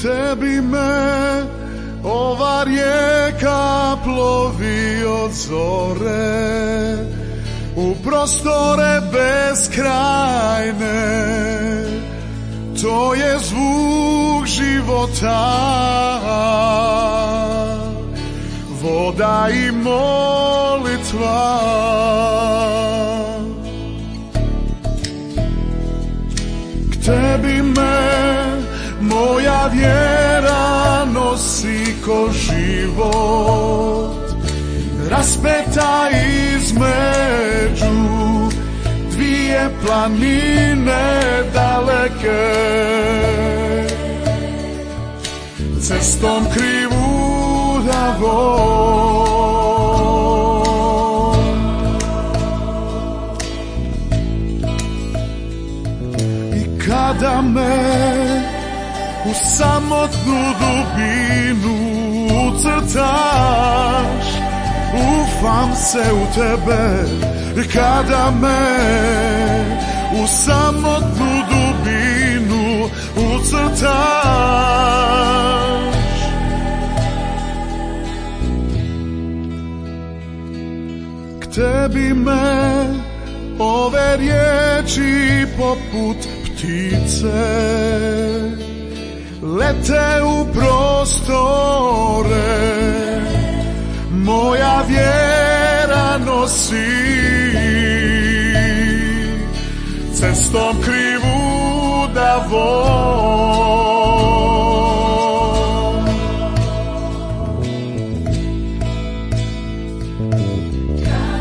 tebi me ova rijeka plovi od zore u prostore beskrajne. To je zvuk života, voda i molitva. K tebi me moja vjera nosi ko život, raspeta između dvije planine daleke. Cestom krivudavom i kada me u samotnu dubinu ucrtaš, ufam se u tebe. I kada me u samotnu dubinu ucrtaš, k tebi me ove riječi poput ptice lete u prostore, moja vjera nosi cestom krivudavom.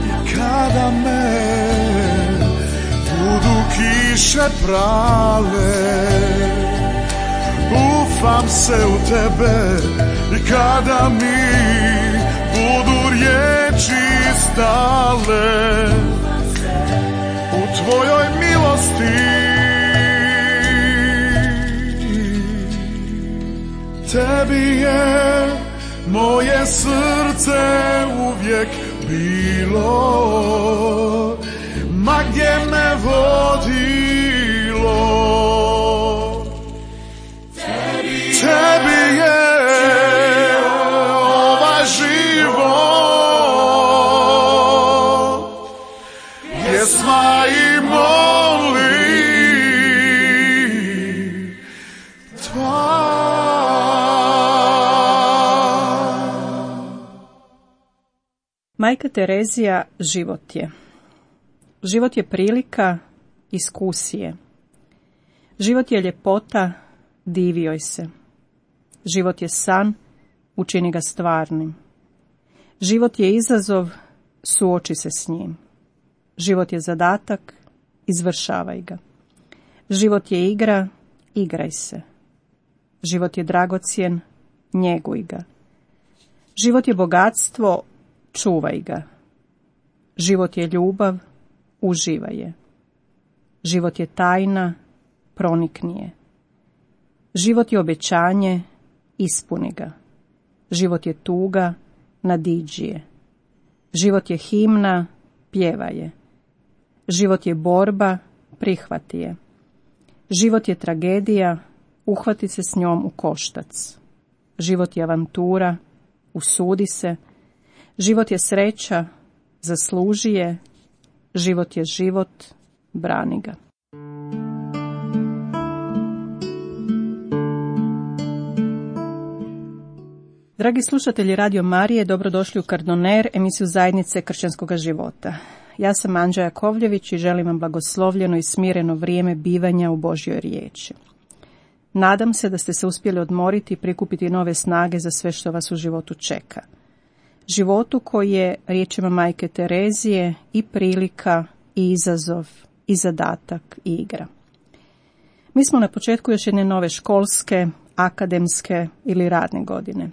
I kada me budu kiše prale, ufam se u tebe. I kada mi budu riječi stale, u tvojoj milosti tebi je moje srce uvijek bilo, ma gdje me vodilo. Tebi je ovaj život, pjesma i molitva. Majka Terezija život je. Život je prilika, iskusije. Život je ljepota, divi joj se. Život je san, učini ga stvarnim. Život je izazov, suoči se s njim. Život je zadatak, izvršavaj ga. Život je igra, igraj se. Život je dragocjen, njeguj ga. Život je bogatstvo, čuvaj ga. Život je ljubav, uživaj je. Život je tajna, pronikni je. Život je obećanje, ispuni ga. Život je tuga, nadiđi je. Život je himna, pjevaj je. Život je borba, prihvati je. Život je tragedija, uhvati se s njom u koštac. Život je avantura, usudi se. Život je sreća, zasluži je. Život je život, brani ga. Dragi slušatelji Radio Marije, dobrodošli u Kardoner, emisiju Zajednice kršćanskog života. Ja sam Anđa Jakovljević i želim vam blagoslovljeno i smireno vrijeme bivanja u Božjoj riječi. Nadam se da ste se uspjeli odmoriti i prikupiti nove snage za sve što vas u životu čeka. Životu koji je, riječima majke Terezije, i prilika, i izazov, i zadatak, i igra. Mi smo na početku još jedne nove školske, akademske ili radne godine.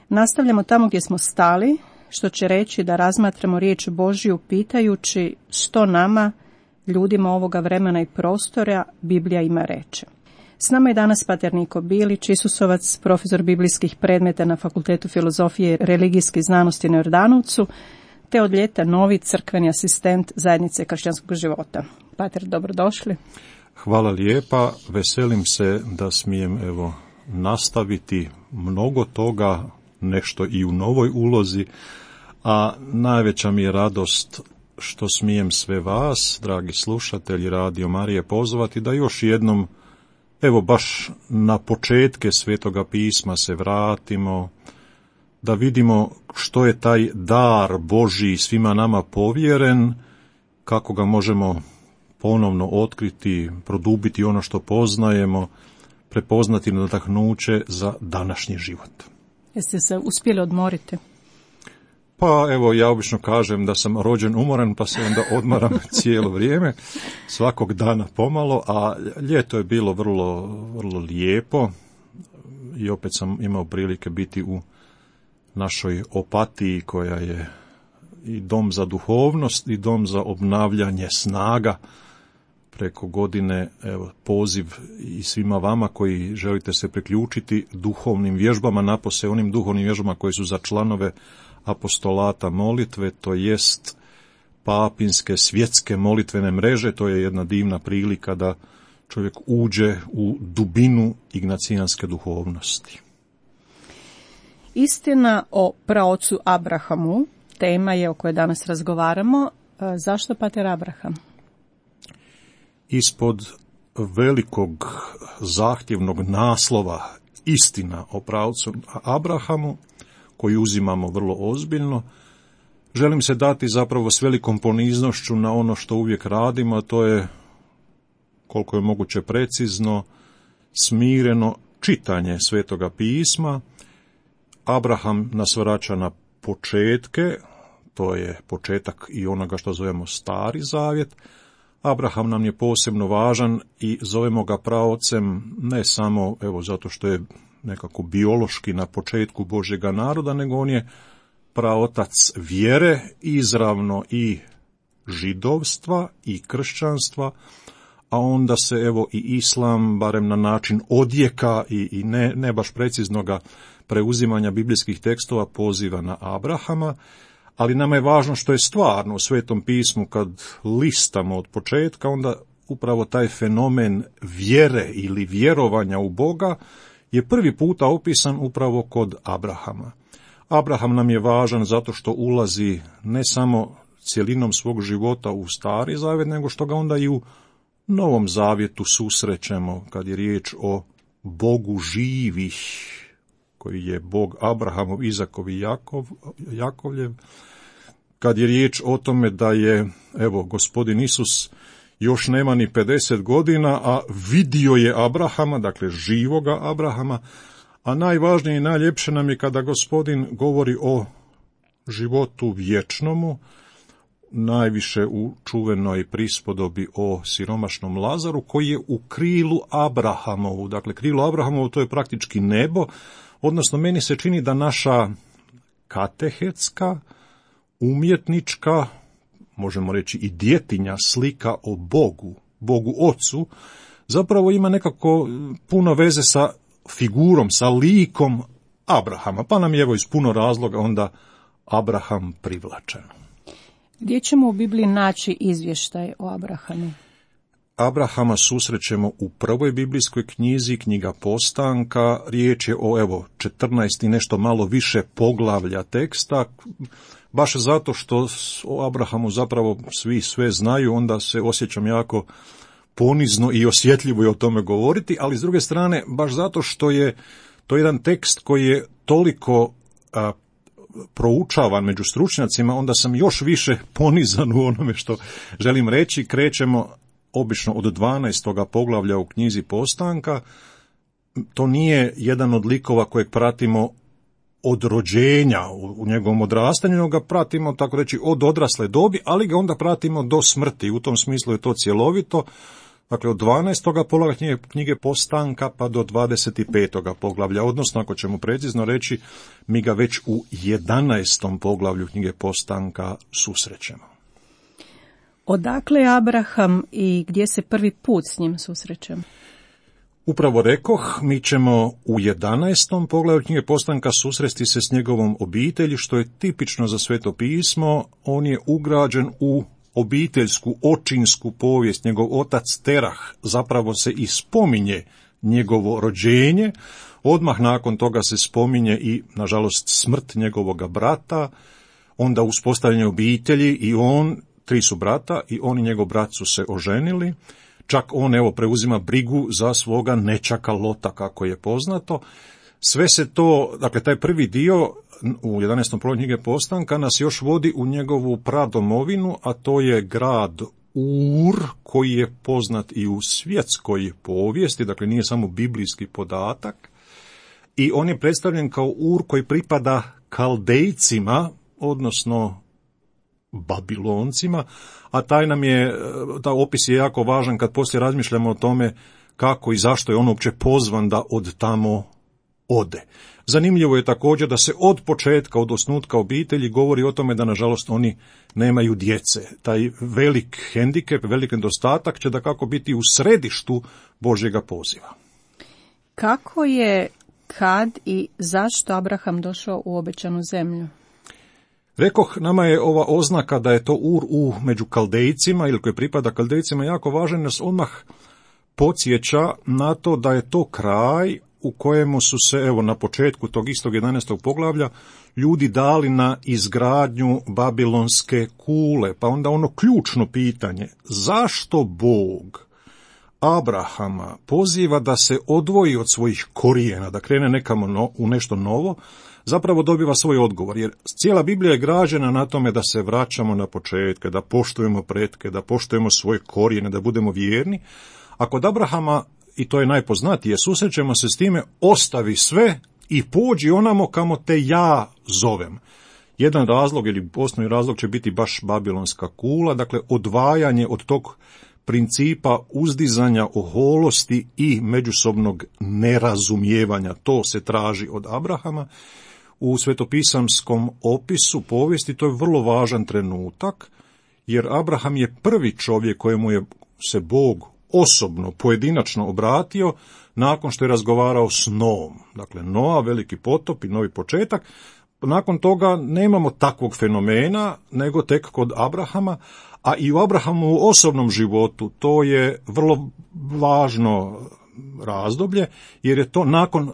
Nastavljamo tamo gdje smo stali, što će reći da razmatramo riječ Božju pitajući što nama, ljudima ovoga vremena i prostora, Biblija ima reći. S nama je danas pater Niko Bilić, Isusovac, profesor biblijskih predmeta na Fakultetu filozofije i religijskih znanosti na Jordanovcu, te od ljeta novi crkveni asistent Zajednice kršćanskog života. Pater, dobrodošli. Hvala lijepa, veselim se da smijem nastaviti mnogo toga, nešto i u novoj ulozi, a najveća mi je radost što smijem sve vas, dragi slušatelji Radio Marije, pozvati da još jednom, evo baš na početke Svetoga pisma se vratimo, da vidimo što je taj dar Božji svima nama povjeren, kako ga možemo ponovno otkriti, produbiti ono što poznajemo, prepoznati nadahnuće za današnji život. Jeste se uspjeli odmoriti? Pa evo, ja obično kažem da sam rođen umoran, pa se onda odmaram cijelo vrijeme, svakog dana pomalo, a ljeto je bilo vrlo, vrlo lijepo i opet sam imao prilike biti u našoj Opatiji, koja je i dom za duhovnost i dom za obnavljanje snaga. Preko godine, evo, poziv i svima vama koji želite se priključiti duhovnim vježbama, napose onim duhovnim vježbama koji su za članove apostolata molitve, to jest papinske svjetske molitvene mreže. To je jedna divna prilika da čovjek uđe u dubinu ignacijanske duhovnosti. Istina o praocu Abrahamu, tema je o kojoj danas razgovaramo. Zašto pater Abraham? Ispod velikog zahtjevnog naslova istina o praocu Abrahamu, koji uzimamo vrlo ozbiljno, želim se dati zapravo s velikom poniznošću na ono što uvijek radimo, a to je, koliko je moguće precizno, smireno čitanje Svetoga pisma. Abraham nas vraća na početke, to je početak i onoga što zovemo Stari Zavjet. Abraham nam je posebno važan i zovemo ga praocem ne samo zato što je nekako biološki na početku Božjega naroda, nego on je praotac vjere, izravno i židovstva i kršćanstva, a onda se i islam, barem na način odjeka i ne baš preciznoga preuzimanja biblijskih tekstova, poziva na Abrahama, ali nama je važno što je stvarno u Svetom pismu. Kad listamo od početka, onda upravo taj fenomen vjere ili vjerovanja u Boga je prvi puta opisan upravo kod Abrahama. Abraham nam je važan zato što ulazi ne samo cjelinom svog života u Stari Zavjet, nego što ga onda i u Novom Zavjetu susrećemo kad je riječ o Bogu živih, koji je Bog Abrahamov, Izakov i Jakovljev, kad je riječ o tome da je, Gospodin Isus još nema ni 50 godina, a vidio je Abrahama, dakle živoga Abrahama, a najvažnije i najljepše nam je kada Gospodin govori o životu vječnomu, najviše u čuvenoj prispodobi o siromašnom Lazaru, koji je u krilu Abrahamovu. Dakle, krilo Abrahamovu, to je praktički nebo, odnosno meni se čini da naša katehetska, umjetnička, možemo reći i djetinja slika o Bogu Ocu, zapravo ima nekako puno veze sa figurom, sa likom Abrahama, pa nam je iz puno razloga onda Abraham privlačen. Gdje ćemo u Bibliji naći izvještaj o Abrahamu? Abrahama susrećemo u prvoj biblijskoj knjizi, knjiga Postanka. Riječ je o 14 i nešto malo više poglavlja teksta. Baš zato što o Abrahamu zapravo svi sve znaju, onda se osjećam jako ponizno i osjetljivo je o tome govoriti, ali s druge strane, baš zato što je to jedan tekst koji je toliko proučavan među stručnjacima, onda sam još više ponizan u onome što želim reći. Krećemo obično od 12. poglavlja u knjizi Postanka. To nije jedan od likova kojeg pratimo od rođenja u njegovom odrastanju, nego ga pratimo, tako reći, od odrasle dobi, ali ga onda pratimo do smrti. U tom smislu je to cjelovito. Dakle, od 12. poglavlja knjige Postanka pa do 25. poglavlja, odnosno, ako ćemo precizno reći, mi ga već u 11. poglavlju knjige Postanka susrećemo. Odakle je Abraham i gdje se prvi put s njim susrećemo? Upravo rekoh, mi ćemo u 11. poglavlju knjige Postanka susresti se s njegovom obitelji, što je tipično za Sveto pismo. On je ugrađen u obiteljsku, očinsku povijest. Njegov otac Terah zapravo se i spominje njegovo rođenje, odmah nakon toga se spominje i, nažalost, smrt njegovoga brata, onda uspostavljanje obitelji i on, 3 su brata i on i njegov brat su se oženili, čak on preuzima brigu za svoga nećaka Lota, kako je poznato. Sve se to, dakle taj prvi dio u 11. poglavlju knjige Postanka nas još vodi u njegovu pradomovinu, a to je grad Ur, koji je poznat i u svjetskoj povijesti, dakle nije samo biblijski podatak, i on je predstavljen kao Ur koji pripada Kaldejcima, odnosno Babiloncima, a taj opis je jako važan kad poslije razmišljamo o tome kako i zašto je on uopće pozvan da od tamo ode. Zanimljivo je također da se od početka, od osnutka obitelji govori o tome da nažalost oni nemaju djece. Taj velik hendikep, velik nedostatak će dakako biti u središtu Božjega poziva. Kako je, kad i zašto Abraham došao u obećanu zemlju? Rekoh, nama je ova oznaka da je to Ur među Kaldejcima ili koji pripada Kaldejcima jako važan, nas odmah podsjeća na to da je to kraj u kojemu su se, na početku tog istog 11. poglavlja, ljudi dali na izgradnju babilonske kule. Pa onda ono ključno pitanje, zašto Bog Abrahama poziva da se odvoji od svojih korijena, da krene nekamo u nešto novo, zapravo dobiva svoj odgovor, jer cijela Biblija je građena na tome da se vraćamo na početke, da poštujemo pretke, da poštujemo svoje korijene, da budemo vjerni. A kod Abrahama, i to je najpoznatije, susrećemo se s time, ostavi sve i pođi onamo kamo te ja zovem. Jedan razlog ili osnovni razlog će biti baš babilonska kula, dakle odvajanje od tog principa uzdizanja oholosti i međusobnog nerazumijevanja. To se traži od Abrahama. U svetopisamskom opisu povijesti to je vrlo važan trenutak, jer Abraham je prvi čovjek kojemu je se Bog osobno, pojedinačno obratio nakon što je razgovarao s Noom. Dakle, Noa, veliki potop i novi početak. Nakon toga nemamo takvog fenomena, nego tek kod Abrahama, a i u Abrahamu u osobnom životu to je vrlo važno razdoblje, jer je to nakon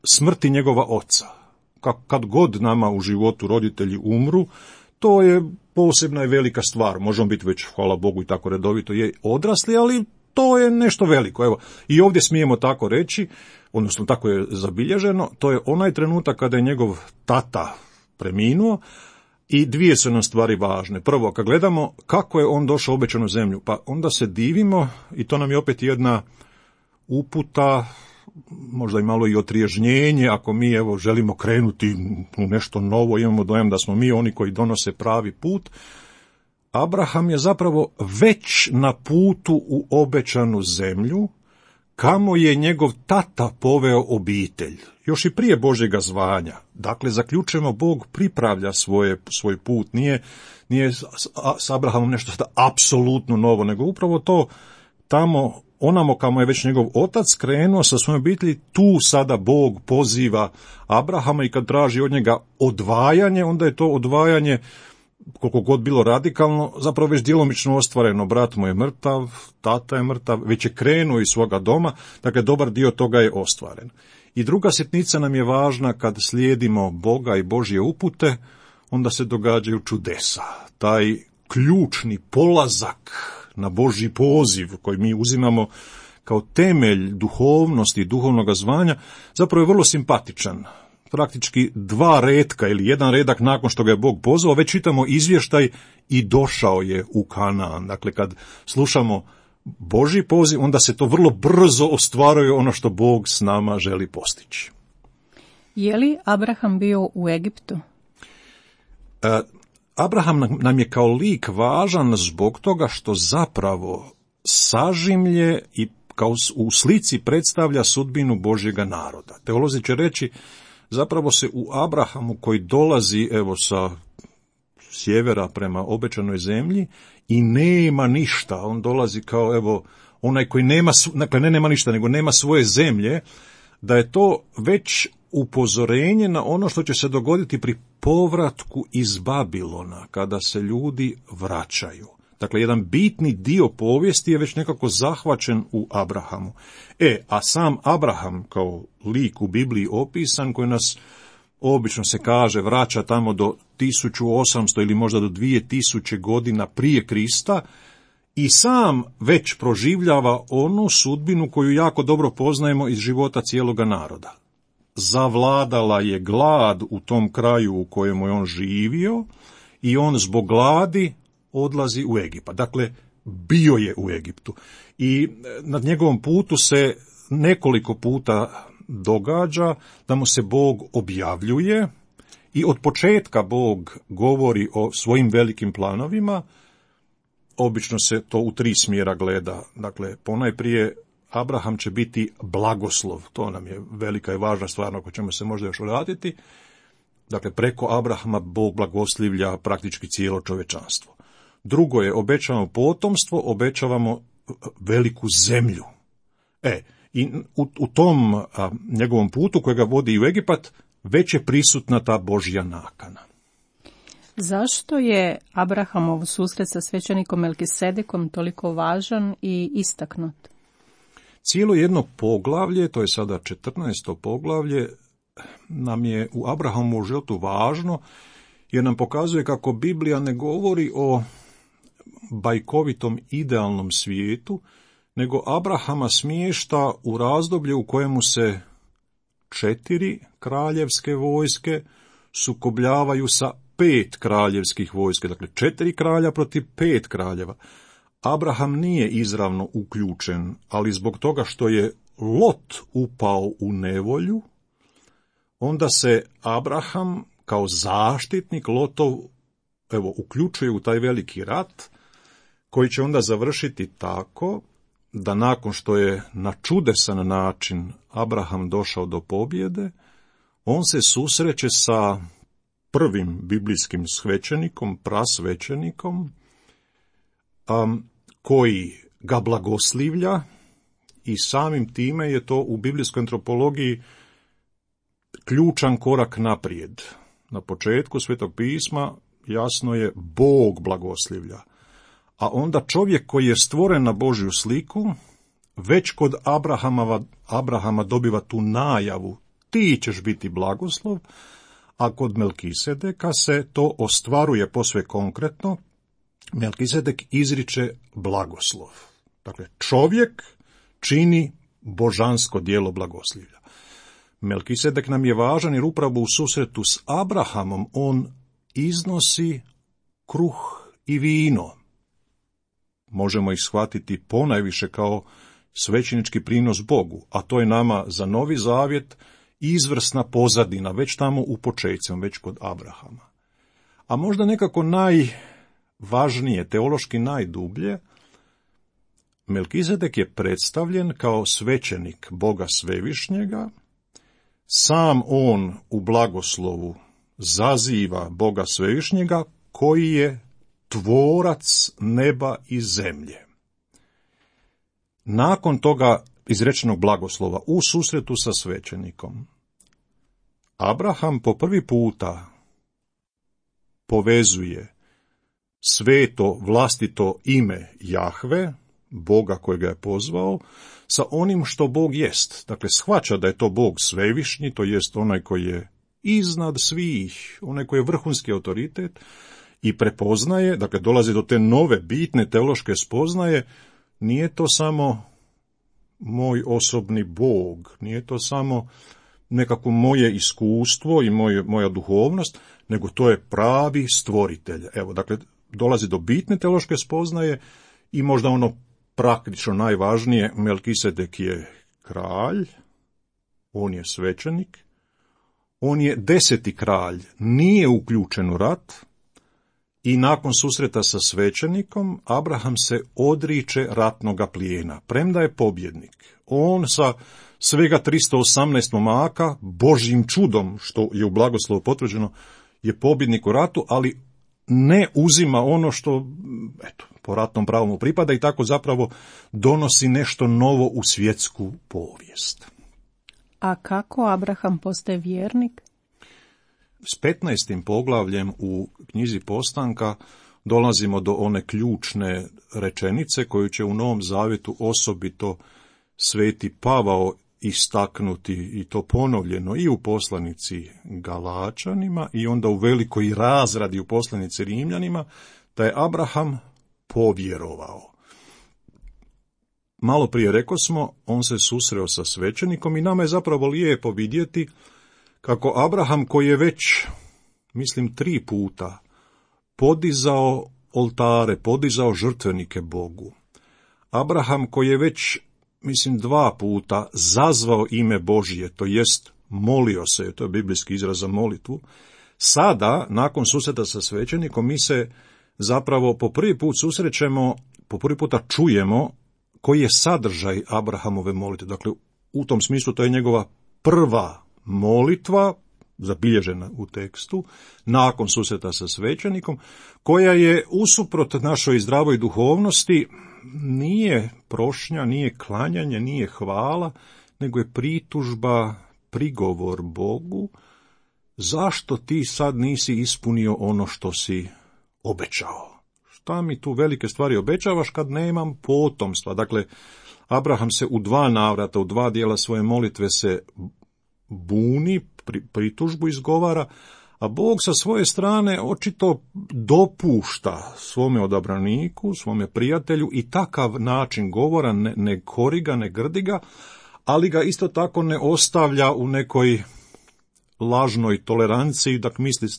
smrti njegova oca. Kad god nama u životu roditelji umru, to je posebna i velika stvar. Možemo biti već, hvala Bogu, i tako redovito je odrasli, ali to je nešto veliko. Evo, i ovdje smijemo tako reći, odnosno tako je zabilježeno, to je onaj trenutak kada je njegov tata preminuo i dvije su nam stvari važne. Prvo, kad gledamo kako je on došao u obećanu zemlju, pa onda se divimo i to nam je opet jedna uputa, možda i malo i otriježnjenje, ako mi želimo krenuti u nešto novo, imamo dojam da smo mi oni koji donose pravi put. Abraham je zapravo već na putu u obećanu zemlju, kamo je njegov tata poveo obitelj, još i prije Božjega zvanja. Dakle, zaključujemo, Bog pripravlja svoj put, nije s Abrahamom nešto apsolutno novo, nego upravo to tamo, onamo kamo je već njegov otac krenuo sa svojom obitelji, tu sada Bog poziva Abrahama i kad traži od njega odvajanje, onda je to odvajanje, koliko god bilo radikalno, zapravo već djelomično ostvareno. Brat mu je mrtav, tata je mrtav, već je krenuo iz svoga doma, dakle dobar dio toga je ostvaren. I druga sitnica nam je važna, kad slijedimo Boga i Božje upute, onda se događaju čudesa. Taj ključni polazak na Božji poziv koji mi uzimamo kao temelj duhovnosti i duhovnog zvanja, zapravo je vrlo simpatičan. Praktički 2 retka ili 1 redak nakon što ga je Bog pozvao, već čitamo izvještaj i došao je u Kanaan. Dakle, kad slušamo Božji poziv, onda se to vrlo brzo ostvaruje ono što Bog s nama želi postići. Je li Abraham bio u Egiptu? Abraham nam je kao lik važan zbog toga što zapravo sažimlje i kao u slici predstavlja sudbinu Božjega naroda. Teolozi će reći, zapravo se u Abrahamu koji dolazi sa sjevera prema obećanoj zemlji i nema ništa, on dolazi kao onaj koji nema, dakle nema ništa, nego nema svoje zemlje, da je to već upozorenje na ono što će se dogoditi pri povratku iz Babilona, kada se ljudi vraćaju. Dakle, jedan bitni dio povijesti je već nekako zahvaćen u Abrahamu. A sam Abraham kao lik u Bibliji opisan, koji nas obično se kaže vraća tamo do 1800 ili možda do 2000 godina prije Krista, i sam već proživljava onu sudbinu koju jako dobro poznajemo iz života cijeloga naroda. Zavladala je glad u tom kraju u kojemu je on živio i on zbog gladi odlazi u Egipat. Dakle, bio je u Egiptu i na njegovom putu se nekoliko puta događa da mu se Bog objavljuje i od početka Bog govori o svojim velikim planovima. Obično se to u 3 smjera gleda. Dakle, ponajprije Abraham će biti blagoslov. To nam je velika i važna stvar na koju ćemo se možda još vratiti. Dakle, preko Abrahama Bog blagoslivlja praktički cijelo čovječanstvo. Drugo je, obećavamo potomstvo, obećavamo veliku zemlju. I u tom njegovom putu kojega vodi u Egipat već je prisutna ta Božja nakana. Zašto je Abrahamov susret sa svećenikom Melkisedekom toliko važan i istaknut? Cijelo jedno poglavlje, to je sada 14. poglavlje, nam je u Abrahamovu životu važno, jer nam pokazuje kako Biblija ne govori o bajkovitom idealnom svijetu, nego Abrahama smješta u razdoblje u kojemu se 4 kraljevske vojske sukobljavaju sa 5 kraljevskih vojske, dakle 4 kralja protiv 5 kraljeva. Abraham nije izravno uključen, ali zbog toga što je Lot upao u nevolju, onda se Abraham kao zaštitnik Lotov uključuje u taj veliki rat, koji će onda završiti tako da nakon što je na čudesan način Abraham došao do pobjede, on se susreće sa prvim biblijskim svećenikom, prasvećenikom, koji ga blagoslivlja i samim time je to u biblijskoj antropologiji ključan korak naprijed. Na početku Svetog pisma jasno je Bog blagoslivlja, a onda čovjek koji je stvoren na Božju sliku već kod Abrahama dobiva tu najavu, ti ćeš biti blagoslov, a kod Melkisedeka se to ostvaruje posve konkretno. Melkisedek izriče blagoslov. Dakle, čovjek čini božansko djelo blagoslivlja. Melkisedek nam je važan jer upravo u susretu s Abrahamom on iznosi kruh i vino. Možemo ih shvatiti ponajviše kao svećenički prinos Bogu, a to je nama za Novi Zavjet izvrsna pozadina, već tamo u počecima, već kod Abrahama. A možda nekako najvažnije, teološki najdublje, Melkisedek je predstavljen kao svećenik Boga Svevišnjega, sam on u blagoslovu zaziva Boga Svevišnjega koji je tvorac neba i zemlje. Nakon toga izrečenog blagoslova u susretu sa svećenikom, Abraham po prvi puta povezuje sveto vlastito ime Jahve, Boga kojega je pozvao, sa onim što Bog jest. Dakle, shvaća da je to Bog svevišnji, to jest onaj koji je iznad svih, onaj koji je vrhunski autoritet, i prepoznaje, dakle dolazi do te nove bitne teološke spoznaje, nije to samo moj osobni Bog, nije to samo nekako moje iskustvo i moja duhovnost, nego to je pravi stvoritelj. Evo, dakle, dolazi do bitne teološke spoznaje i možda ono praktično najvažnije, Melkisedek je kralj, on je svećenik, on je 10. kralj, nije uključen u rat, i nakon susreta sa svećenikom, Abraham se odriče ratnoga plijena, premda je pobjednik. On sa svega 318 momaka, Božjim čudom, što je u blagoslovu potvrđeno, je pobjednik u ratu, ali ne uzima ono što, po ratnom pravu mu pripada i tako zapravo donosi nešto novo u svjetsku povijest. A kako Abraham postaje vjernik? S 15. poglavljem u knjizi Postanka dolazimo do one ključne rečenice koju će u Novom Zavjetu osobito Sveti Pavao istaknuti, i to ponovljeno i u poslanici Galačanima i onda u velikoj razradi u poslanici Rimljanima, da je Abraham povjerovao. Malo prije rekosmo, on se susreo sa svećenikom i nama je zapravo lijepo vidjeti kako Abraham, koji je već, mislim, 3 puta podizao oltare, podizao žrtvenike Bogu, Abraham koji je već, mislim, 2 puta zazvao ime Božije, to jest molio se, to je biblijski izraz za molitvu, sada, nakon susreta sa svećenikom, mi se zapravo po prvi put susrećemo, po prvi puta čujemo koji je sadržaj Abrahamove molitve. Dakle, u tom smislu to je njegova prva molitva, zabilježena u tekstu, nakon susreta sa svećenikom, koja je usuprot našoj zdravoj duhovnosti nije prošnja, nije klanjanje, nije hvala, nego je pritužba, prigovor Bogu, zašto ti sad nisi ispunio ono što si obećao? Šta mi tu velike stvari obećavaš kad nemam potomstva? Dakle, Abraham se u 2 navrata, u 2 dijela svoje molitve se buni, pritužbu izgovara, a Bog sa svoje strane očito dopušta svome odabraniku, svome prijatelju i takav način govora, ne kori ga, ne grdi ga, ali ga isto tako ne ostavlja u nekoj lažnoj toleranciji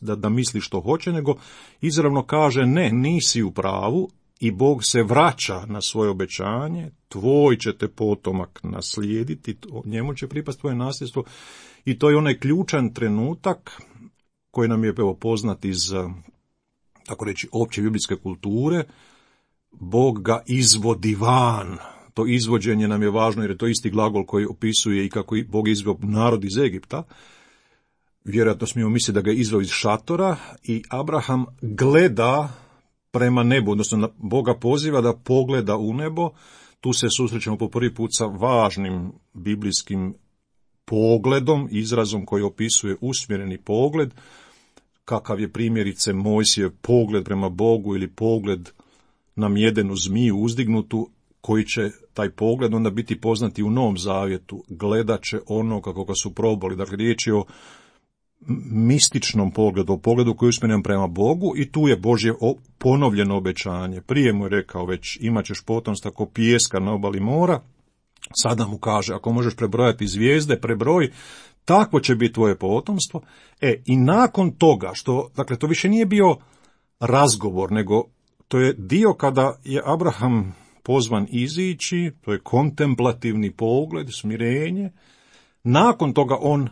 da misli što hoće, nego izravno kaže ne, nisi u pravu, i Bog se vraća na svoje obećanje, tvoj će te potomak naslijediti, njemu će pripasti tvoje nasljedstvo, i to je onaj ključan trenutak koji nam je poznat iz, tako reći, opće biblijske kulture. Bog ga izvodi van. To izvođenje nam je važno jer je to isti glagol koji opisuje i kako Bog izveo narod iz Egipta. Vjerojatno smijemo misliti da ga je izveo iz šatora i Abraham gleda prema nebu, odnosno Boga poziva da pogleda u nebo. Tu se susrećemo po prvi put sa važnim biblijskim pogledom, izrazom koji opisuje usmjereni pogled, kakav je primjerice Mojsijev pogled prema Bogu ili pogled na mjedenu zmiju uzdignutu, koji će taj pogled onda biti poznati u Novom Zavjetu. Gledat će ono kako ga su probali. Dakle, riječ je o mističnom pogledu, o pogledu koji je usmjeren prema Bogu, i tu je Božje ponovljeno obećanje. Prije mu je rekao već, imat ćeš potomstva ko pijeska na obali mora. Sada mu kaže, ako možeš prebrojati zvijezde, prebroj, takvo će biti tvoje potomstvo. I nakon toga, dakle, to više nije bio razgovor, nego to je dio kada je Abraham pozvan izići, to je kontemplativni pogled, smirenje. Nakon toga on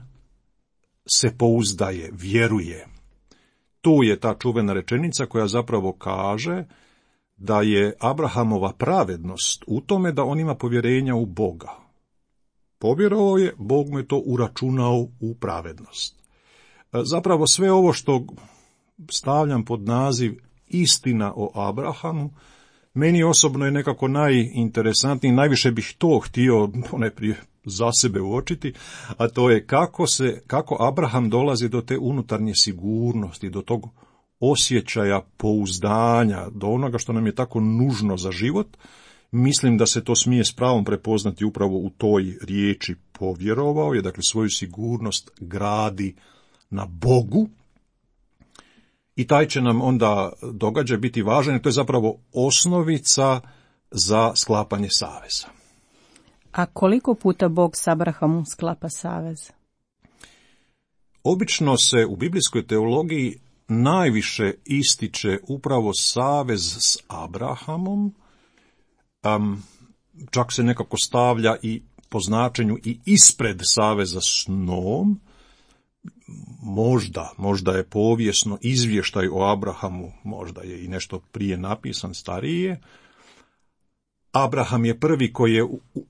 se pouzdaje, vjeruje. Tu je ta čuvena rečenica koja zapravo kaže da je Abrahamova pravednost u tome da on ima povjerenja u Boga. Povjerovao je, Bog mu je to uračunao u pravednost. Zapravo sve ovo što stavljam pod naziv istina o Abrahamu, meni osobno je nekako najinteresantniji, najviše bih to htio ponajprije za sebe uočiti, a to je kako Abraham dolazi do te unutarnje sigurnosti, do tog osjećaja pouzdanja, do onoga što nam je tako nužno za život. Mislim da se to smije s pravom prepoznati upravo u toj riječi povjerovao je, dakle svoju sigurnost gradi na Bogu, i taj će nam onda događaj biti važan, i to je zapravo osnovica za sklapanje saveza. A koliko puta Bog s Abrahamom sklapa savez? Obično se u biblijskoj teologiji najviše ističe upravo savez s Abrahamom, čak se nekako stavlja i po značenju i ispred saveza s Noom. Možda je povijesno izvještaj o Abrahamu, možda je i nešto prije napisan, starije. Abraham je prvi koji je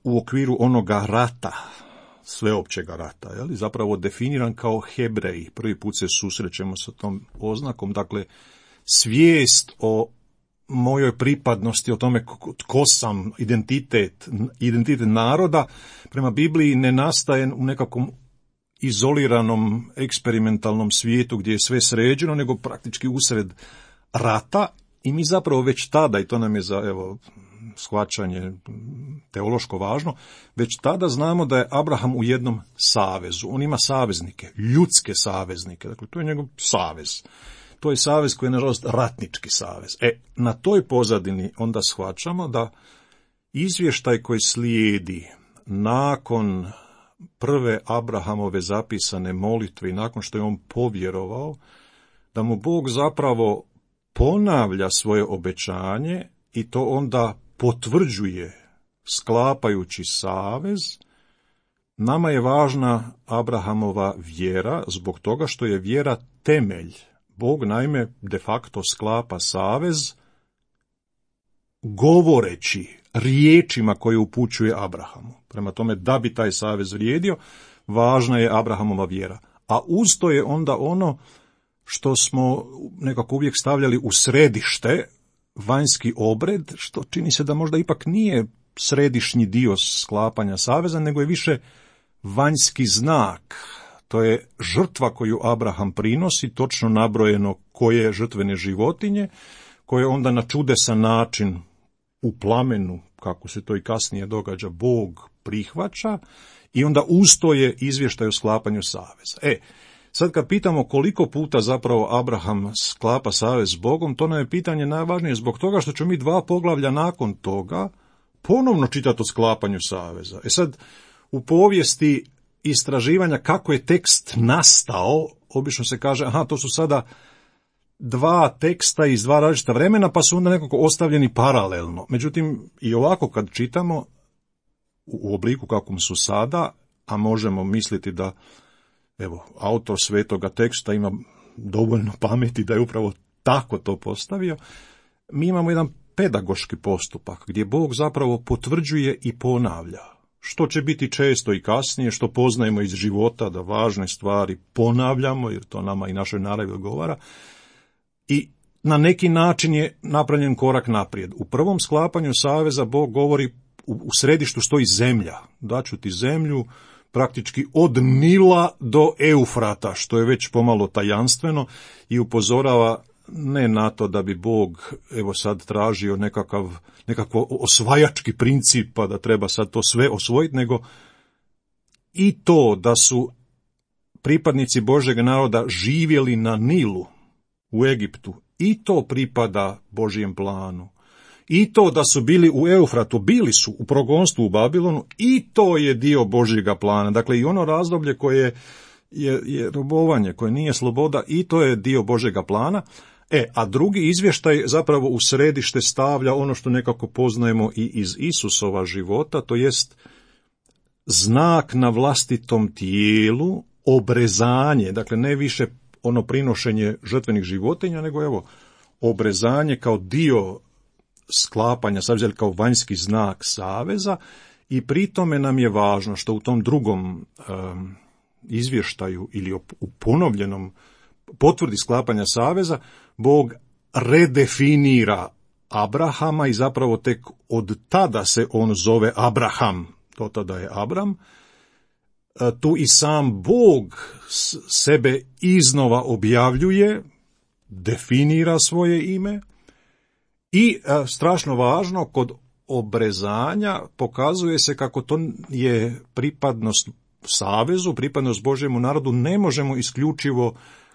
u okviru onoga rata, sveopćega rata, zapravo definiran kao Hebrej. Prvi put se susrećemo sa tom oznakom, dakle svijest o mojoj pripadnosti, o tome tko sam, identitet naroda, prema Bibliji ne nastaje u nekakvom izoliranom eksperimentalnom svijetu gdje je sve sređeno, nego praktički usred rata, I mi zapravo već tada, i to nam je za shvaćanje teološko važno, već tada znamo da je Abraham u jednom savezu. On ima saveznike, ljudske saveznike, dakle to je njegov savez. To je savez koji je nažalost ratnički savez. Na toj pozadini onda shvaćamo da izvještaj koji slijedi nakon prve Abrahamove zapisane molitve i nakon što je on povjerovao, da mu Bog zapravo ponavlja svoje obećanje i to onda potvrđuje sklapajući savez. Nama je važna Abrahamova vjera zbog toga što je vjera temelj. Bog naime de facto sklapa savez govoreći riječima koje upućuje Abrahamu. Prema tome, da bi taj savez vrijedio, važna je Abrahamova vjera. A uz to je onda ono što smo nekako uvijek stavljali u središte, vanjski obred, što čini se da možda ipak nije središnji dio sklapanja saveza, nego je više vanjski znak. To je žrtva koju Abraham prinosi, točno nabrojeno koje žrtvene životinje, koje onda na čudesan način u plamenu, kako se to i kasnije događa, Bog prihvaća i onda ustoje izvještaj o sklapanju saveza. Sad kad pitamo koliko puta zapravo Abraham sklapa savez s Bogom, to nam je pitanje najvažnije zbog toga što ćemo mi 2 poglavlja nakon toga ponovno čitati o sklapanju saveza. Sad, u povijesti istraživanja kako je tekst nastao, obično se kaže, to su sada 2 teksta iz 2 različita vremena, pa su onda nekako ostavljeni paralelno. Međutim, i ovako kad čitamo u obliku kakvom su sada, a možemo misliti da autor svetoga teksta ima dovoljno pameti da je upravo tako to postavio, mi imamo jedan pedagoški postupak gdje Bog zapravo potvrđuje i ponavlja. Što će biti često i kasnije, što poznajemo iz života, da važne stvari ponavljamo, jer to nama i našoj naravi odgovara, i na neki način je napravljen korak naprijed. U prvom sklapanju saveza Bog govori u središtu stoji zemlja. Daću ti zemlju praktički od Nila do Eufrata, što je već pomalo tajanstveno i upozorava ne na to da bi Bog sad tražio nekako osvajački princip, pa da treba sad to sve osvojiti, nego i to da su pripadnici Božjeg naroda živjeli na Nilu u Egiptu, i to pripada Božjem planu. I to da su bili u Eufratu, bili su u progonstvu u Babilonu, i to je dio Božjega plana. Dakle, i ono razdoblje koje je robovanje, koje nije sloboda, i to je dio Božjega plana. A drugi izvještaj zapravo u središte stavlja ono što nekako poznajemo i iz Isusova života, to jest znak na vlastitom tijelu, obrezanje, dakle ne više ono prinošenje žrtvenih životinja, nego obrezanje kao dio sklapanja saveza, kao vanjski znak saveza, i pri tome nam je važno što u tom drugom izvještaju ili u ponovljenom potvrdi sklapanja saveza Bog redefinira Abrahama i zapravo tek od tada se on zove Abraham, do tada je Abram. Tu i sam Bog sebe iznova objavljuje, definira svoje ime i strašno važno, kod obrezanja pokazuje se kako to je pripadnost savezu, pripadnost Božjemu narodu, ne možemo isključivo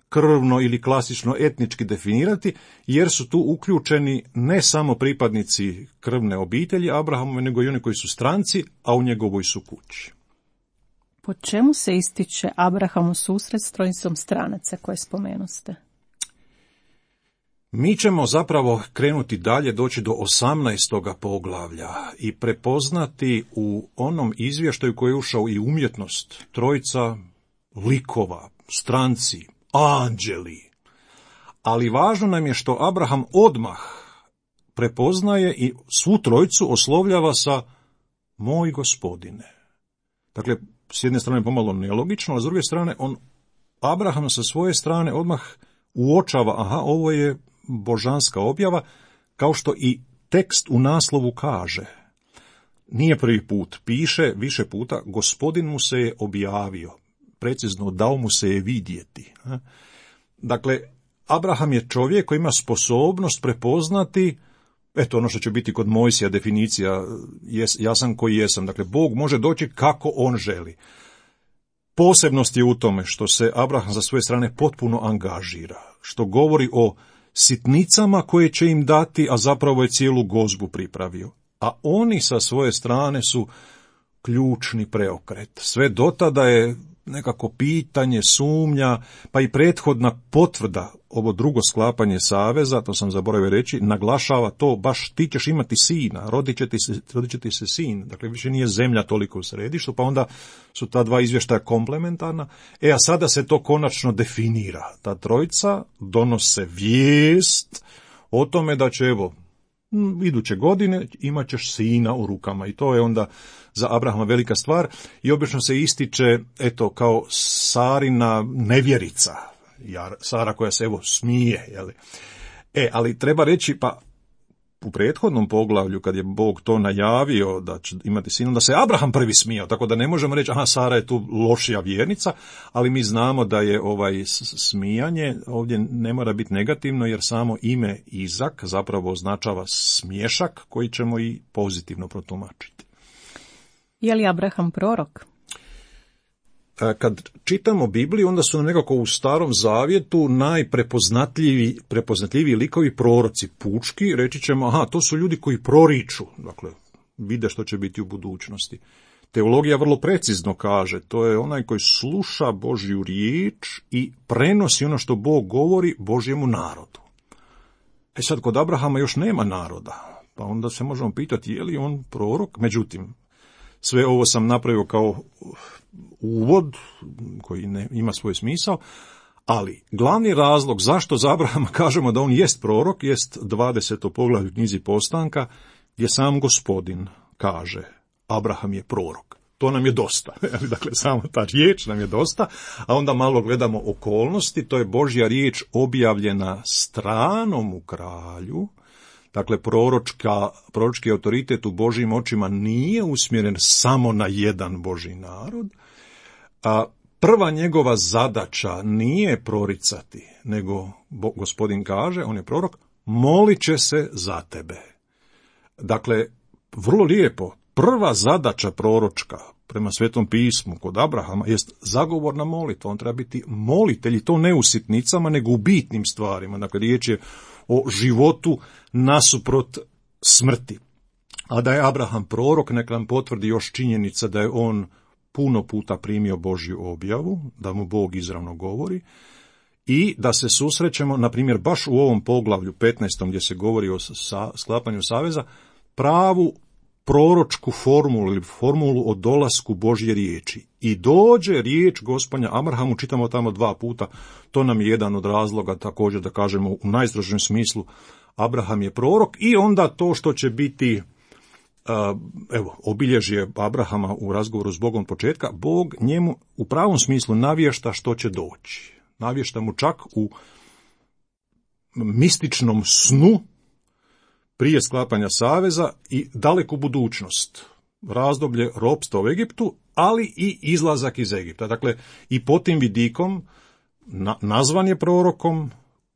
krvno ili klasično etnički definirati, jer su tu uključeni ne samo pripadnici krvne obitelji Abrahamove, nego i oni koji su stranci, a u njegovoj su kući. Po čemu se ističe Abrahamu susret s trojicom stranaca koje spomenuste? Mi ćemo zapravo krenuti dalje, doći do 18. poglavlja i prepoznati u onom izvještaju koji je ušao i umjetnost, trojica likova, stranci, anđeli. Ali važno nam je što Abraham odmah prepoznaje i svu trojicu oslovljava sa moj gospodine. Dakle, s jedne strane pomalo nelogično, a s druge strane Abraham sa svoje strane odmah uočava, ovo je božanska objava, kao što i tekst u naslovu kaže. Nije prvi put, piše više puta, gospodin mu se je objavio, precizno dao mu se je vidjeti. Dakle, Abraham je čovjek koji ima sposobnost prepoznati, eto ono što će biti kod Mojsija definicija, ja sam koji jesam. Dakle, Bog može doći kako on želi. Posebnost je u tome što se Abraham sa svoje strane potpuno angažira, što govori o sitnicama koje će im dati, a zapravo je cijelu gozbu pripravio. A oni sa svoje strane su ključni preokret. Sve dotada je nekako pitanje, sumnja, pa i prethodna potvrda, ovo drugo sklapanje saveza, to sam zaboravio reći, naglašava to, baš ti ćeš imati sina, rodit će ti se sin. Dakle, više nije zemlja toliko u središtu, pa onda su ta dva izvještaja komplementarna. A sada se to konačno definira. Ta trojica donose vijest o tome da će, evo, iduće godine imat ćeš sina u rukama, i to je onda za Abrahama velika stvar, i obično se ističe, eto, kao Sarina nevjerica, Sara koja se, evo, smije, jeli? Ali treba reći, pa u prethodnom poglavlju, kad je Bog to najavio da će imati sina, da se Abraham prvi smijao, tako da ne možemo reći, aha, Sara je tu lošija vjernica, ali mi znamo da je smijanje ovdje ne mora biti negativno, jer samo ime Izak zapravo označava smiješak koji ćemo i pozitivno protumačiti. Je li Abraham prorok? Kad čitamo Bibliju, onda su nam nekako u Starom Zavjetu najprepoznatljiviji likovi proroci pučki, reći ćemo, aha, to su ljudi koji proriču, dakle, vide što će biti u budućnosti. Teologija vrlo precizno kaže, to je onaj koji sluša Božju riječ i prenosi ono što Bog govori Božjemu narodu. Sad, kod Abrahama još nema naroda, pa onda se možemo pitati je li on prorok, međutim, sve ovo sam napravio kao uvod koji ima svoj smisao, ali glavni razlog zašto za Abrahama kažemo da on jest prorok jest 20. poglavlje u knjizi Postanka, gdje sam Gospodin kaže Abraham je prorok. To nam je dosta. Dakle, samo ta riječ nam je dosta, a onda malo gledamo okolnosti. To je Božja riječ objavljena stranomu kralju. Dakle, proročki autoritet u Božjim očima nije usmjeren samo na jedan Božji narod, a prva njegova zadaća nije proricati, nego Gospodin kaže, on je prorok, molit će se za tebe. Dakle, vrlo lijepo, prva zadaća proročka prema Svetom pismu kod Abrahama jest zagovorna molitva. On treba biti molitelj, i to ne u sitnicama, nego u bitnim stvarima. Dakle, riječ je o životu nasuprot smrti. A da je Abraham prorok, nek nam potvrdi još činjenica da je on puno puta primio Božju objavu, da mu Bog izravno govori, i da se susrećemo, na primjer, baš u ovom poglavlju 15. gdje se govori o sklapanju saveza, pravu proročku formulu ili formulu o dolasku Božje riječi. I dođe riječ Gospodnja Abrahamu, čitamo tamo 2 puta, to nam je jedan od razloga također da kažemo u najstrožem smislu Abraham je prorok, i onda to što će biti obilježje Abrahama u razgovoru s Bogom početka, Bog njemu u pravom smislu navješta što će doći. Navješta mu čak u mističnom snu prije sklapanja saveza i daleku budućnost, razdoblje ropstva u Egiptu, ali i izlazak iz Egipta. Dakle, i po tim vidikom nazvan je prorokom,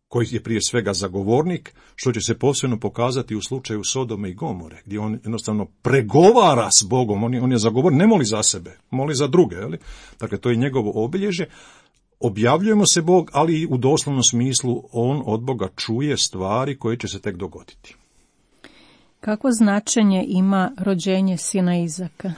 koji je prije svega zagovornik, što će se posebno pokazati u slučaju Sodome i Gomore, gdje on jednostavno pregovara s Bogom, on je zagovornik, ne moli za sebe, moli za druge. Jeli? Dakle, to je njegovo obilježje. Objavljujemo se Bog, ali i u doslovnom smislu on od Boga čuje stvari koje će se tek dogoditi. Kako značenje ima rođenje sina Izaka?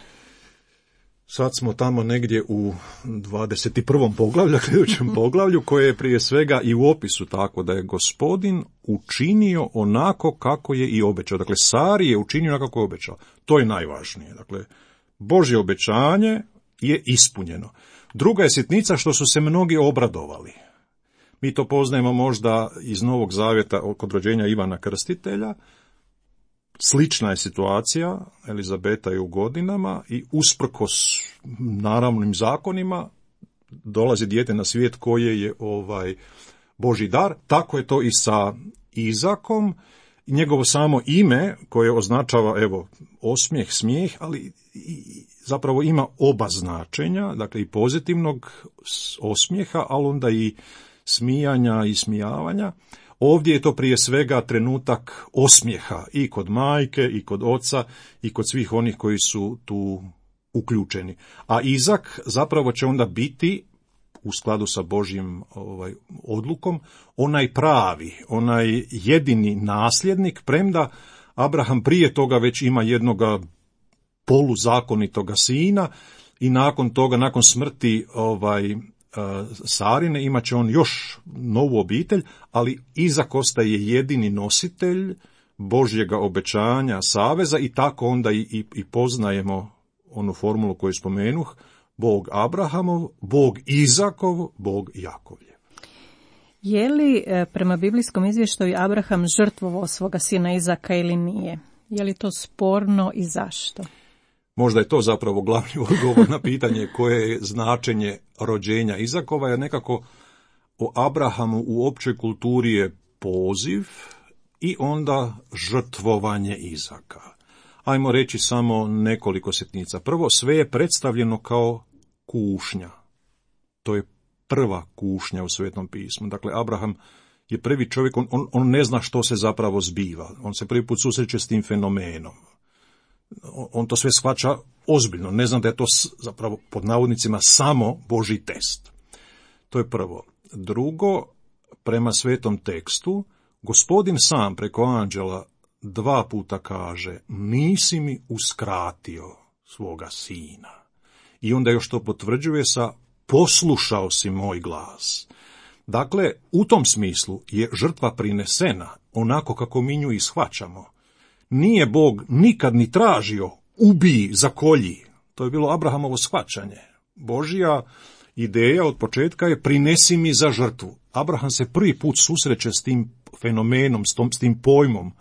Sad smo tamo negdje u 21. poglavlju, sljedećem poglavlju, koje je prije svega i u opisu tako da je Gospodin učinio onako kako je i obećao. Dakle, Sari je učinio onako kako je obećao. To je najvažnije. Dakle, Božje obećanje je ispunjeno. Druga je sitnica što su se mnogi obradovali. Mi to poznajemo možda iz Novog Zavjeta kod rođenja Ivana Krstitelja. Slična je situacija, Elizabeta je u godinama i usprkos naravnim zakonima dolazi dijete na svijet koje je Božji dar. Tako je to i sa Izakom. Njegovo samo ime koje označava osmijeh, smijeh, ali zapravo ima oba značenja, dakle i pozitivnog osmijeha, ali onda i smijanja i smijavanja. Ovdje je to prije svega trenutak osmijeha i kod majke, i kod oca, i kod svih onih koji su tu uključeni. A Izak zapravo će onda biti, u skladu sa Božjim odlukom, onaj pravi, onaj jedini nasljednik, premda Abraham prije toga već ima jednoga poluzakonitoga sina i nakon toga, nakon smrti Sarine, imat će on još novu obitelj, ali Izak ostaje jedini nositelj Božjega obećanja, saveza, i tako onda i poznajemo onu formulu koju spomenuh: Bog Abrahamov, Bog Izakov, Bog Jakovljev. Je li prema biblijskom izvještaju Abraham žrtvovao svoga sina Izaka ili nije? Je li to sporno i zašto? Možda je to zapravo glavni odgovor na pitanje koje je značenje rođenja Izakova, jer nekako o Abrahamu u općoj kulturi je poziv i onda žrtvovanje Izaka. Ajmo reći samo nekoliko sitnica. Prvo, sve je predstavljeno kao kušnja. To je prva kušnja u Svetom pismu. Dakle, Abraham je prvi čovjek, on ne zna što se zapravo zbiva. On se prvi put susreće s tim fenomenom. On to sve shvaća ozbiljno. Ne zna da je to zapravo, pod navodnicima, samo Božji test. To je prvo. Drugo, prema Svetom tekstu, Gospodin sam preko anđela 2 puta kaže: nisi mi uskratio svoga sina. I onda još to potvrđuje sa: poslušao si moj glas. Dakle, u tom smislu je žrtva prinesena onako kako mi nju i shvaćamo. Nije Bog nikad ni tražio ubij, zakolji. To je bilo Abrahamovo shvaćanje. Božja ideja od početka je: prinesi mi za žrtvu. Abraham se prvi put susreće s tim fenomenom, s tim pojmom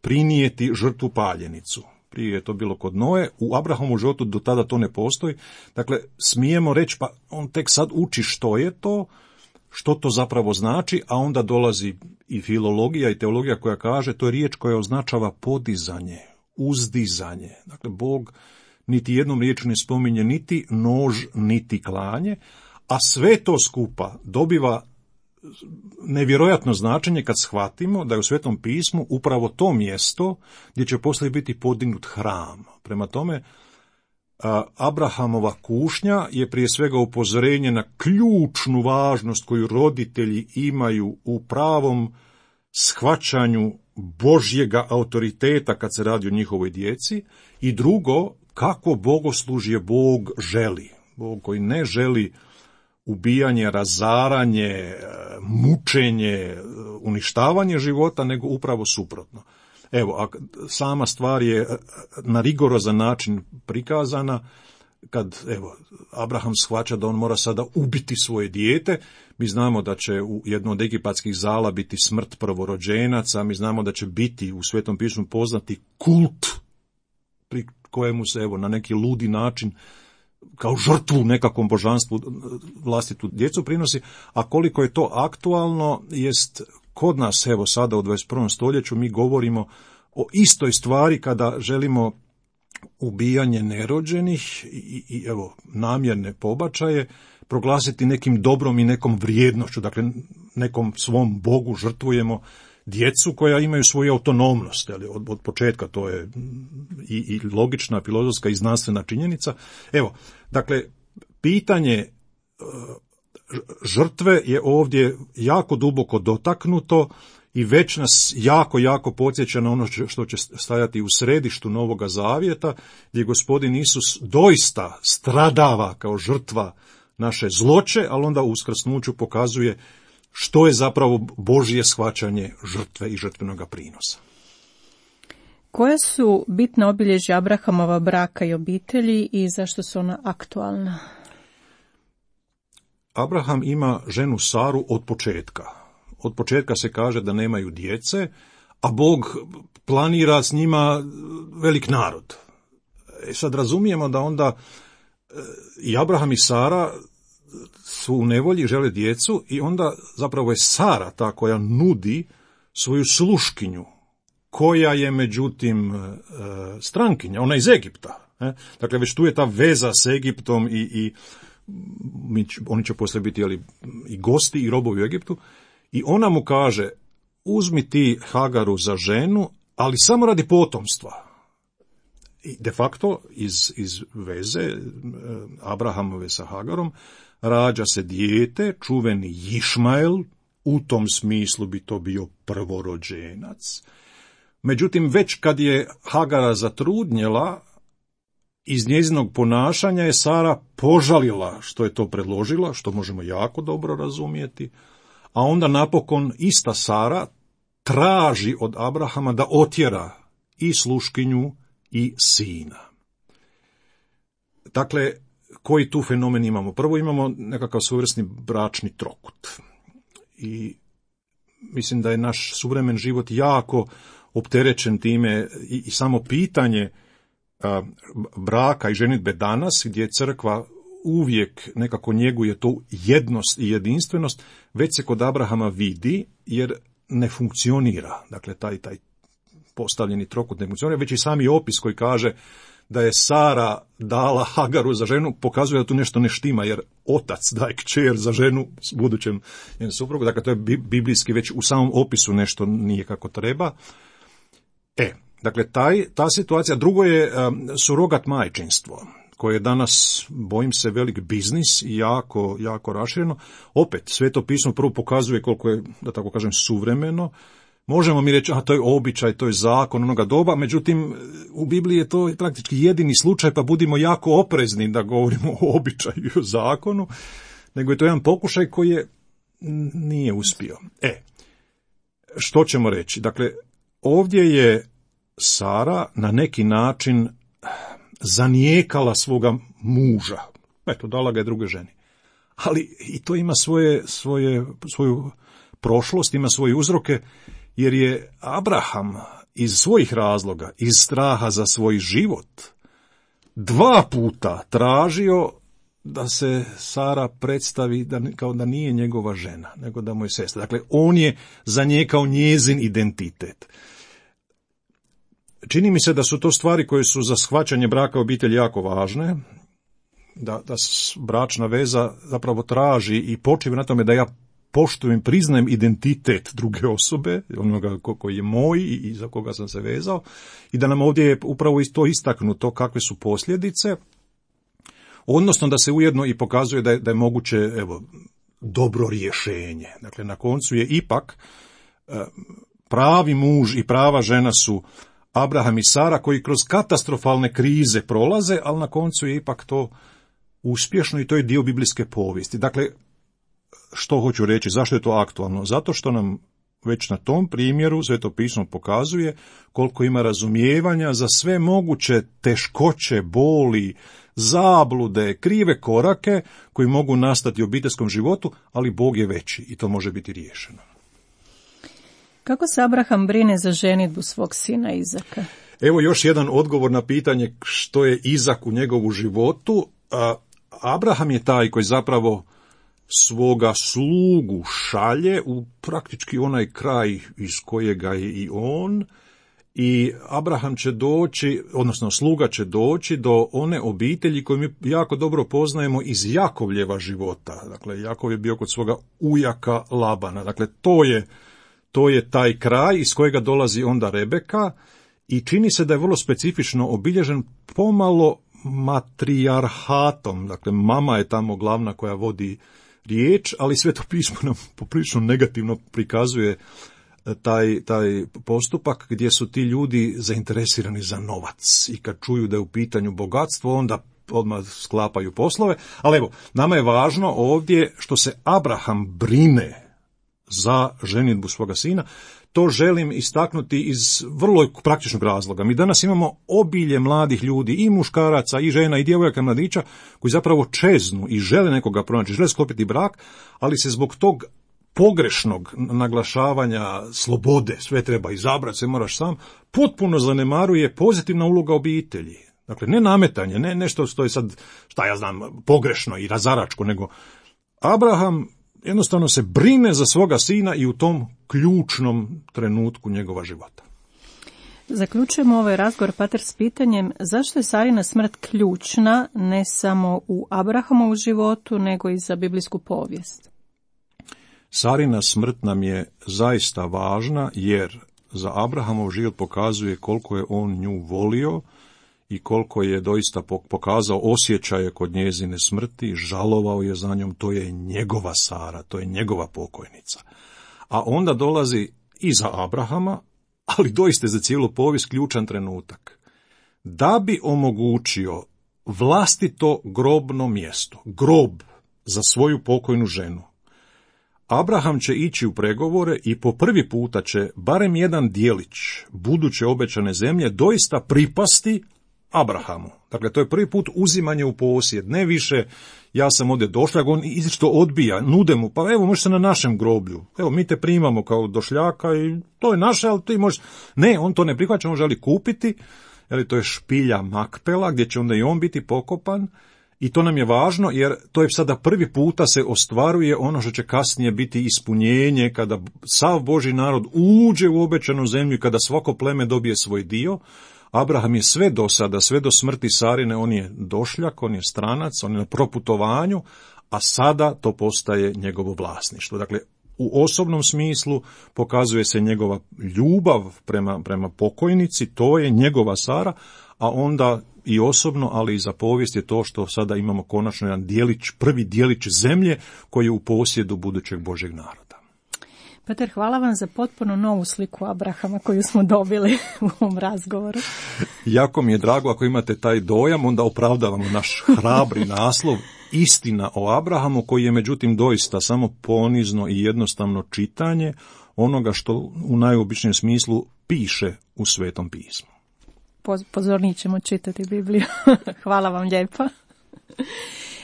prinijeti žrtvu paljenicu. Prije je to bilo kod Noe, u Abrahamovu životu do tada to ne postoji. Dakle, smijemo reći, pa on tek sad uči što je to, što to zapravo znači, a onda dolazi i filologija i teologija koja kaže: to je riječ koja označava podizanje, uzdizanje. Dakle, Bog niti jednom riječju ne spominje niti nož, niti klanje, a sve to skupa dobiva nevjerojatno značenje kad shvatimo da je u Svetom pismu upravo to mjesto gdje će poslije biti podignut hram. Prema tome, Abrahamova kušnja je prije svega upozorenje na ključnu važnost koju roditelji imaju u pravom shvaćanju Božjega autoriteta kad se radi o njihovoj djeci, i drugo, kako bogoslužje Bog želi. Bog koji ne želi ubijanje, razaranje, mučenje, uništavanje života, nego upravo suprotno. Evo, a sama stvar je na rigorozan način prikazana, kad Abraham shvaća da on mora sada ubiti svoje dijete. Mi znamo da će u jednom od egipatskih zala biti smrt prvorođenaca, mi znamo da će biti u Svetom pismu poznati kult pri kojemu se na neki ludi način kao žrtvu nekakvom božanstvu vlastitu djecu prinosi, a koliko je to aktualno jest kod nas, sada u 21. stoljeću mi govorimo o istoj stvari kada želimo ubijanje nerođenih i namjerne pobačaje proglasiti nekim dobrom i nekom vrijednošću, dakle nekom svom Bogu žrtvujemo djecu koja imaju svoju autonomnost, od početka to je i logična, filozofska i znanstvena činjenica. Dakle, pitanje žrtve je ovdje jako duboko dotaknuto i već nas jako podsjeća na ono što će stajati u središtu Novoga Zavjeta, gdje Gospodin Isus doista stradava kao žrtva naše zloće, ali onda u uskrsnuću pokazuje što je zapravo Božje shvaćanje žrtve i žrtvenoga prinosa. Koja su bitna obilježja Abrahamova braka i obitelji i zašto su ona aktualna? Abraham ima ženu Saru od početka. Od početka se kaže da nemaju djece, a Bog planira s njima velik narod. Sad razumijemo da onda i Abraham i Sara su u nevolji, žele djecu, i onda zapravo je Sara ta koja nudi svoju sluškinju, koja je međutim strankinja, ona iz Egipta. Dakle, već tu je ta veza s Egiptom i oni će poslije biti i gosti i robovi u Egiptu, i ona mu kaže, uzmi ti Hagaru za ženu, ali samo radi potomstva. I de facto iz veze Abrahamove sa Hagarom rađa se dijete, čuveni Išmael, u tom smislu bi to bio prvorođenac. Međutim, već kad je Hagara zatrudnjela, iz njezinog ponašanja je Sara požalila što je to predložila, što možemo jako dobro razumjeti, a onda napokon ista Sara traži od Abrahama da otjera i sluškinju i sina. Dakle, koji tu fenomen imamo? Prvo imamo nekakav svojevrsni bračni trokut. I mislim da je naš suvremen život jako opterećen time i samo pitanje braka i ženidbe danas, gdje crkva uvijek nekako njeguje tu jednost i jedinstvenost, već se kod Abrahama vidi, jer ne funkcionira. Dakle, taj postavljeni trokut ne funkcionira, već i sami opis koji kaže da je Sara dala Hagaru za ženu, pokazuje da tu nešto ne štima, jer otac daje kćer za ženu s budućem njenom suprugu. Dakle, to je biblijski, već u samom opisu nešto nije kako treba. Dakle, ta situacija. Drugo je surogat majčinstvo, koje je danas, bojim se, velik biznis i jako, jako rašireno. Opet, Sveto pismo prvo pokazuje koliko je, da tako kažem, suvremeno. Možemo mi reći, to je običaj, to je zakon onoga doba, međutim, u Bibliji je to praktički jedini slučaj, pa budimo jako oprezni da govorimo o običaju i o zakonu, nego je to jedan pokušaj koji je nije uspio. Što ćemo reći? Dakle, ovdje je Sara na neki način zanijekala svoga muža. Dala ga je druge ženi. Ali i to ima svoju prošlost, ima svoje uzroke, jer je Abraham iz svojih razloga, iz straha za svoj život, 2 puta tražio da se Sara predstavi kao da nije njegova žena, nego da mu je sestra. Dakle, on je zanijekao njezin identitet. Čini mi se da su to stvari koje su za shvaćanje braka obitelji jako važne, da bračna veza zapravo traži i počiva na tome da ja poštujem, priznajem identitet druge osobe, onoga koji je moj i za koga sam se vezao, i da nam ovdje je upravo to istaknuto kakve su posljedice, odnosno da se ujedno i pokazuje da je moguće dobro rješenje. Dakle, na koncu je ipak pravi muž i prava žena su Abraham i Sara, koji kroz katastrofalne krize prolaze, ali na koncu je ipak to uspješno i to je dio biblijske povijesti. Dakle, što hoću reći, zašto je to aktualno? Zato što nam već na tom primjeru Sveto pismo pokazuje koliko ima razumijevanja za sve moguće teškoće, boli, zablude, krive korake koji mogu nastati u obiteljskom životu, ali Bog je veći i to može biti riješeno. Kako se Abraham brine za ženidbu svog sina Izaka? Evo još jedan odgovor na pitanje što je Izak u njegovu životu. Abraham je taj koji zapravo svoga slugu šalje u praktički onaj kraj iz kojega je i on, i Abraham će doći, odnosno sluga će doći do one obitelji koju mi jako dobro poznajemo iz Jakovljeva života. Dakle, Jakov je bio kod svoga ujaka Labana. Dakle, to je taj kraj iz kojega dolazi onda Rebeka i čini se da je vrlo specifično obilježen pomalo matrijarhatom. Dakle, mama je tamo glavna koja vodi riječ, ali Sveto pismo nam poprilično negativno prikazuje taj postupak gdje su ti ljudi zainteresirani za novac i kad čuju da je u pitanju bogatstvo, onda odmah sklapaju poslove. Ali evo, nama je važno ovdje što se Abraham brine za ženidbu svoga sina. To želim istaknuti iz vrlo praktičnog razloga. Mi danas imamo obilje mladih ljudi, i muškaraca, i žena, i djevojaka, mladića, koji zapravo čeznu i žele nekoga pronaći, žele sklopiti brak, ali se zbog tog pogrešnog naglašavanja slobode, sve treba izabrati, sve moraš sam, potpuno zanemaruje pozitivna uloga obitelji. Dakle, ne nametanje, ne nešto što je sad, pogrešno i razaračko, nego Abraham jednostavno se brine za svoga sina i u tom ključnom trenutku njegova života. Zaključujemo ovaj razgovor, pater, s pitanjem zašto je Sarina smrt ključna ne samo u Abrahamovu životu, nego i za biblijsku povijest. Sarina smrt nam je zaista važna, jer za Abrahamov život pokazuje koliko je on nju volio i koliko je doista pokazao osjećaje kod njezine smrti, žalovao je za njom, to je njegova Sara, to je njegova pokojnica. A onda dolazi i za Abrahama, ali doista za cijelu povijest ključan trenutak. Da bi omogućio vlastito grobno mjesto, grob za svoju pokojnu ženu, Abraham će ići u pregovore i po prvi puta će barem jedan dijelić buduće obećane zemlje doista pripasti Abrahamu. Dakle, to je prvi put uzimanje u posjed, ne više ja sam ovdje došljak, on izričito odbija, nude mu, pa evo možeš se na našem groblju, evo mi te primamo kao došljaka i to je naše, ali ti možeš, ne, on to ne prihvaća, on želi kupiti, jer to je špilja Makpela, gdje će onda i on biti pokopan. I to nam je važno, jer to je sada prvi puta se ostvaruje ono što će kasnije biti ispunjenje, kada sav Božji narod uđe u obećanu zemlju i kada svako pleme dobije svoj dio. Abraham je sve do sada, sve do smrti Sarine, on je došljak, on je stranac, on je na proputovanju, a sada to postaje njegovo vlasništvo. Dakle, u osobnom smislu pokazuje se njegova ljubav prema pokojnici, to je njegova Sara, a onda i osobno, ali i za povijest je to što sada imamo konačno jedan dijelić, prvi dijelić zemlje koji je u posjedu budućeg Božjeg naroda. Pater, hvala vam za potpuno novu sliku Abrahama koju smo dobili u ovom razgovoru. Jako mi je drago ako imate taj dojam, onda opravdavamo naš hrabri naslov Istina o Abrahamu, koji je međutim doista samo ponizno i jednostavno čitanje onoga što u najobičnijem smislu piše u Svetom pismu. Pozornije ćemo čitati Bibliju. Hvala vam lijepo.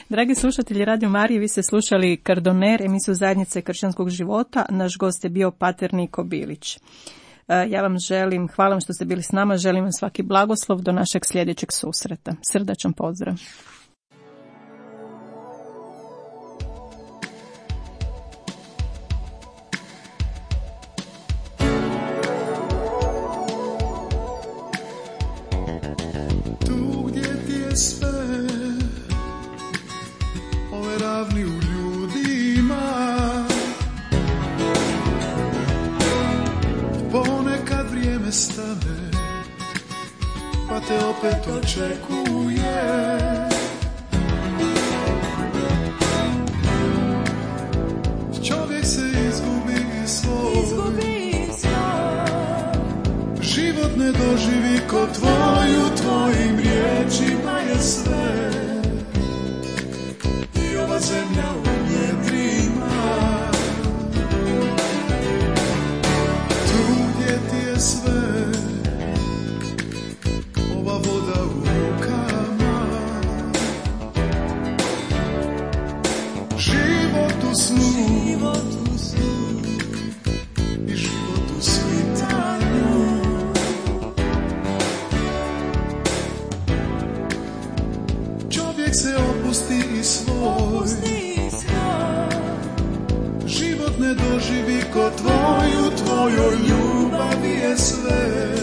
Dragi slušatelji Radio Marije, vi ste slušali Kardoner, emisiju Zajednice kršćanskog života. Naš gost je bio pater Niko Bilić. Ja vam želim, hvala vam što ste bili s nama, želim vam svaki blagoslov do našeg sljedećeg susreta. Srdačan pozdrav. Ravni u ljudima, ponekad vrijeme stane, pa te opet očekuje. Čovjek se izgubi svoj, život ne doživi ko tvoju, tvojim riječima je sve. Zemlja u njedrima, tu gdje ti je sve, ova voda u rukama, život u snu i život u svitanju. Čovjek se opusti i svoj, život ne doživi ko tvoju, tvojoj ljubavi je sve.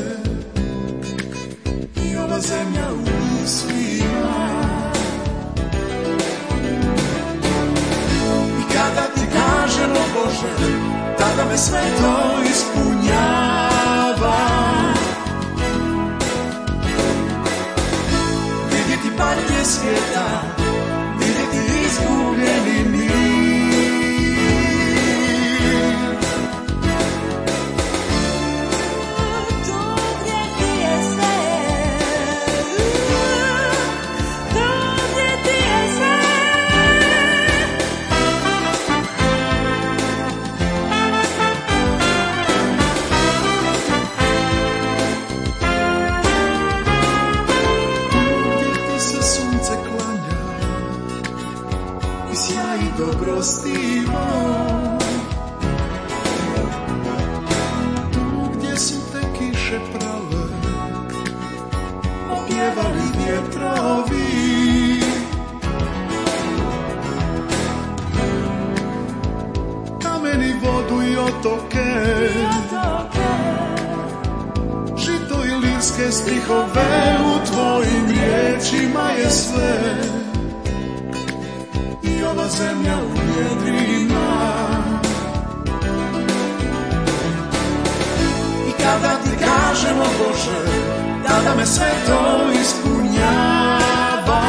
I ova zemlja u mislima, i kada ti kažem o Bože, tada me sve to ispunjava. Vidjeti patnje svijeta, vidjeti izgubljeni mir. Tu gdje su te kiše prale, opjevali vjetrovi, kameni vodu i otoke, žito i tvoje stihove, u tvojim riječima je sve. I ova zemlja u jedrima. I kada ti kažemo Bože, tada me sve to ispunjava.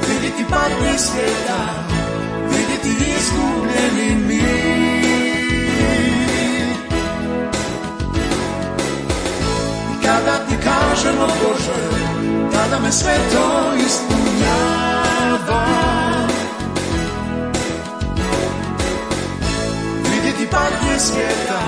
Vidjeti patnje svijeta, vidjeti izgubljeni mir. I kada ti kažemo Bože, tada me sve to ispunjava. Vidjeti patnje svijeta,